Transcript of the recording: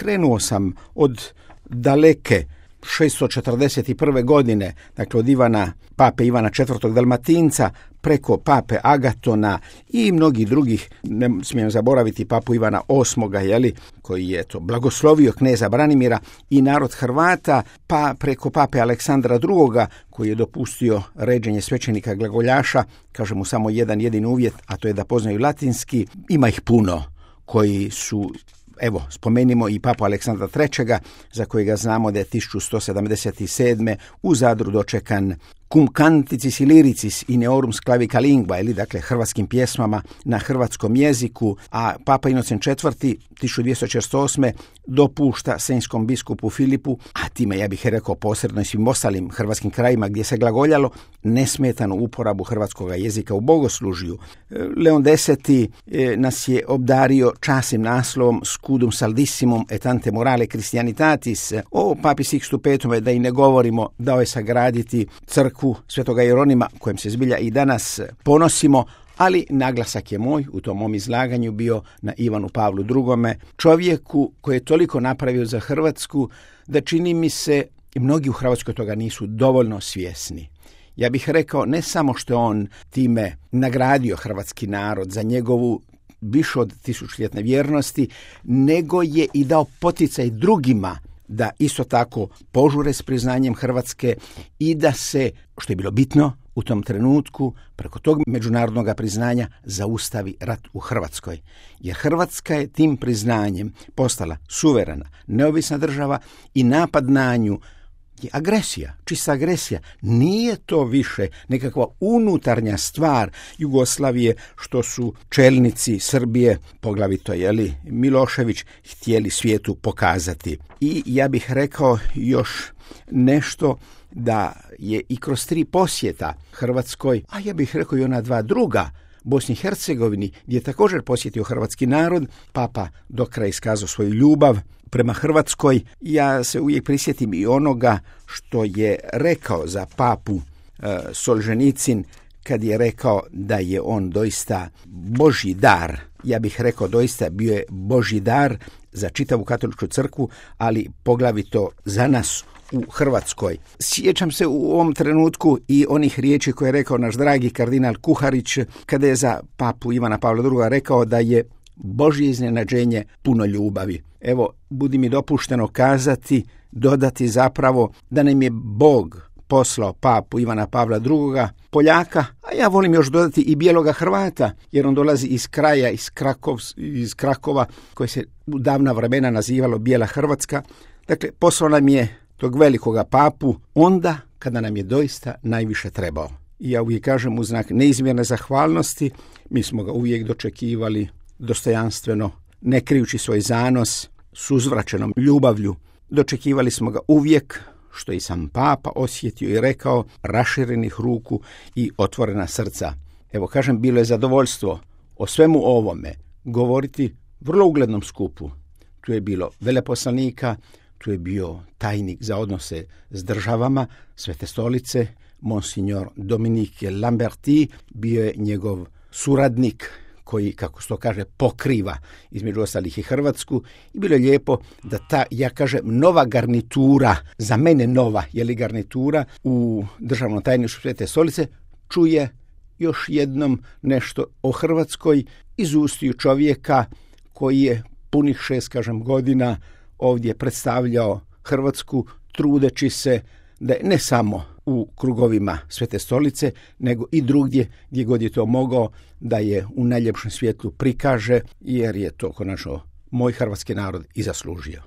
krenuo sam od daleke 641. godine, dakle od pape Ivana IV. Dalmatinca, preko pape Agatona i mnogih drugih, ne smijem zaboraviti papu Ivana VIII, koji je blagoslovio kneza Branimira i narod Hrvata, pa preko pape Aleksandra II. Koji je dopustio ređenje svećenika glagoljaša, kaže mu samo jedan jedini uvjet, a to je da poznaju latinski. Ima ih puno koji su, evo, spomenimo i papu Aleksandra III. Za kojega znamo da je 1177. u Zadru dočekan cum canticis iliricis in eorum sclavica lingua, ili dakle hrvatskim pjesmama na hrvatskom jeziku, a papa Inocent IV. 1248. dopušta senjskom biskupu Filipu, a time ja bih rekao posredno i svim ostalim hrvatskim krajima gdje se glagoljalo, nesmetanu uporabu hrvatskog jezika u bogoslužju. Leon X. nas je obdario časnim naslovom Scudum Saldissimum et ante morale Christianitatis. O papi Sixtu V. da i ne govorimo, dao je sagraditi crkvu Svetoga Jeronima, kojem se zbilja i danas ponosimo, ali naglasak je moj u tom mom izlaganju bio na Ivanu Pavlu II., čovjeku koji je toliko napravio za Hrvatsku da čini mi se mnogi u Hrvatskoj toga nisu dovoljno svjesni. Ja bih rekao, ne samo što on time nagradio hrvatski narod za njegovu više od tisućljetne vjernosti, nego je i dao poticaj drugima da isto tako požure s priznanjem Hrvatske i da se, što je bilo bitno u tom trenutku, preko tog međunarodnog priznanja zaustavi rat u Hrvatskoj. Jer Hrvatska je tim priznanjem postala suverena, neovisna država i napad na nju je agresija, čista agresija. Nije to više nekakva unutarnja stvar Jugoslavije što su čelnici Srbije, poglavito Milošević, htjeli svijetu pokazati. I ja bih rekao još nešto, da je i kroz 3 posjeta Hrvatskoj, a ja bih rekao i ona 2 druga, Bosni i Hercegovini, gdje je također posjetio hrvatski narod, papa do kraja iskazao svoju ljubav prema Hrvatskoj. Ja se uvijek prisjetim i onoga što je rekao za papu Solženicin, kad je rekao da je on doista Božji dar. Ja bih rekao doista bio je Božji dar za čitavu katoličku crkvu, ali poglavito za nas u Hrvatskoj. Sjećam se u ovom trenutku i onih riječi koje je rekao naš dragi kardinal Kuharić kada je za papu Ivana Pavla II. Rekao da je Božje iznenađenje puno ljubavi. Evo, budi mi dopušteno kazati, dodati zapravo da nam je Bog poslao papu Ivana Pavla II. Poljaka, a ja volim još dodati i bijeloga Hrvata, jer on dolazi iz kraja, iz Krakova, koje se u davna vremena nazivalo Bijela Hrvatska. Dakle, poslao nam je tog velikoga papu onda kada nam je doista najviše trebao. I ja uvijek kažem, u znak neizmjerne zahvalnosti, mi smo ga uvijek dočekivali dostojanstveno, ne krijući svoj zanos, s uzvraćenom ljubavlju. Dočekivali smo ga uvijek, što i sam papa osjetio i rekao, raširenih ruku i otvorena srca. Evo, kažem, bilo je zadovoljstvo o svemu ovome govoriti vrlo uglednom skupu. Tu je bilo veleposlanika, tu je bio tajnik za odnose s državama Svete stolice, monsignor Dominique Lamberti, bio je njegov suradnik koji, kako se to kaže, pokriva između ostalih i Hrvatsku, i bilo je lijepo da ta, ja kažem, nova garnitura, za mene nova garnitura u državnom tajništvu Svete stolice, čuje još jednom nešto o Hrvatskoj iz ustiju čovjeka koji je punih 6 godina ovdje predstavljao Hrvatsku, trudeći se da ne samo u krugovima Svete stolice, nego i drugdje gdje god je to mogao, da je u najljepšem svjetlu prikaže, jer je to konačno moj hrvatski narod i zaslužio.